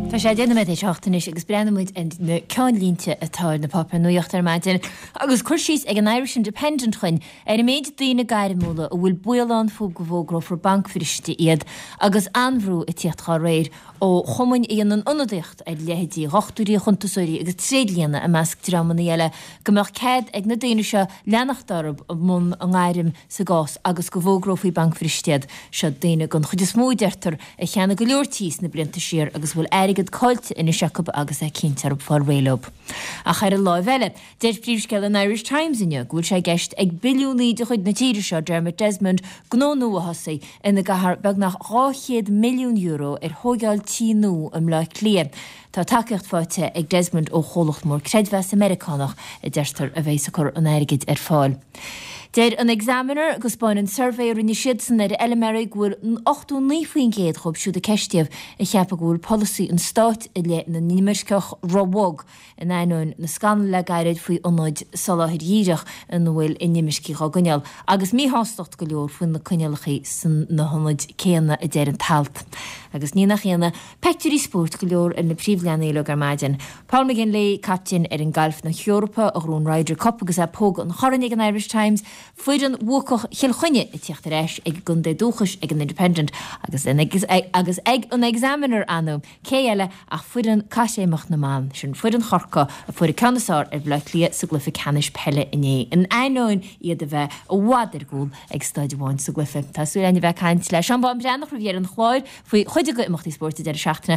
Tá sé 8 nóiméad théis 8 anois agus breathnóidh muid ar na ceannlínte atá ar na páipéir nuachta ar maidin agus cur síos ag an Irish Independent chugainn ar an méid daoine gairmiúla a bhfuil baol ann fúthu go bhfógrófar bancbhriste iad agus an-bhrú ag tíocht dhá réir ó chumainn a dhéanann ionadaíocht ar leithéidí dhochtúirí, chuntasóirí agus tréidlianna i measc dreamanna eile go mbeadh cead ag na daoine seo leanacht orthu i mbun a ngairm sa gcás agus go bhfógrófaí bancbhriste iad. Seo daoine den chuid is mó, a deirtear, a cheannaigh go leor tí sna blianta siar agus a bhfuil airgead caillte anois acu agus é cinnte orthu fáil réidh leo. Ach ar an láimh eile, deir príomhscéal an Irish Times inniu go bhfuil sé i gceist ag billiúnaí de chuid na tíre seo, Dermot Desmond, gnó nua a thosaí ina gcaithfear beagnach €200 milliún ar thóigeáil tí nua i mBleá Cliath. Tá tacaíocht faighte ag Desmond ó chomhlacht mór creidmheasa Meiriceánach, a deirtear, a bheas ag cur an airgid ar fáil. Deir an Examiner go 'spáineann suirbhé a rinne siadsan ar fheilméaraí go bhfuil 89% dhóibh siúd a ceistíodh ag ceapadh go bhfuil polasaí an stáit i leith na n-inimirceach róbhog in ainneoin na scannal le gairid faoi ionaid soláthair dhíreach ina bhfuil inimircigh á gcoinneáil agus míshástacht go leor faoi na coinníollacha sna hionaid céanna, a deir an t-alt. Agus ní nach ionadh, Peictiúirí spóirt go leor ar na príomhleathanaigh uilig ar maidin. Paul McGinley, captaen fhoireann gailf na hEorpa, a ghnóthaigh an Ryder Cup agus é ag pógadh an choirn ag an Irish Times, foireann bhuacach Chill Chainnigh ag tíocht ar ais ag a gcontae dúchais ag an Independent agus agus ag an Examiner anu, cé eile ach foireann caithréimeach na mban, sin foireann Chorcaí a fuair an ceann is fearr ar Bhaile Átha Cliath sa gcluiche ceannais peile inné, in ainneoin iad a bheith i bhfad ar gcúl ag staid amháin sa gcluiche. Tá súil againn a bheith ag caint le Seán Bán Breathnach roimh dheireadh an chláir. Faoi chuid de imeachtaí spóirt an deireadh seachtaine.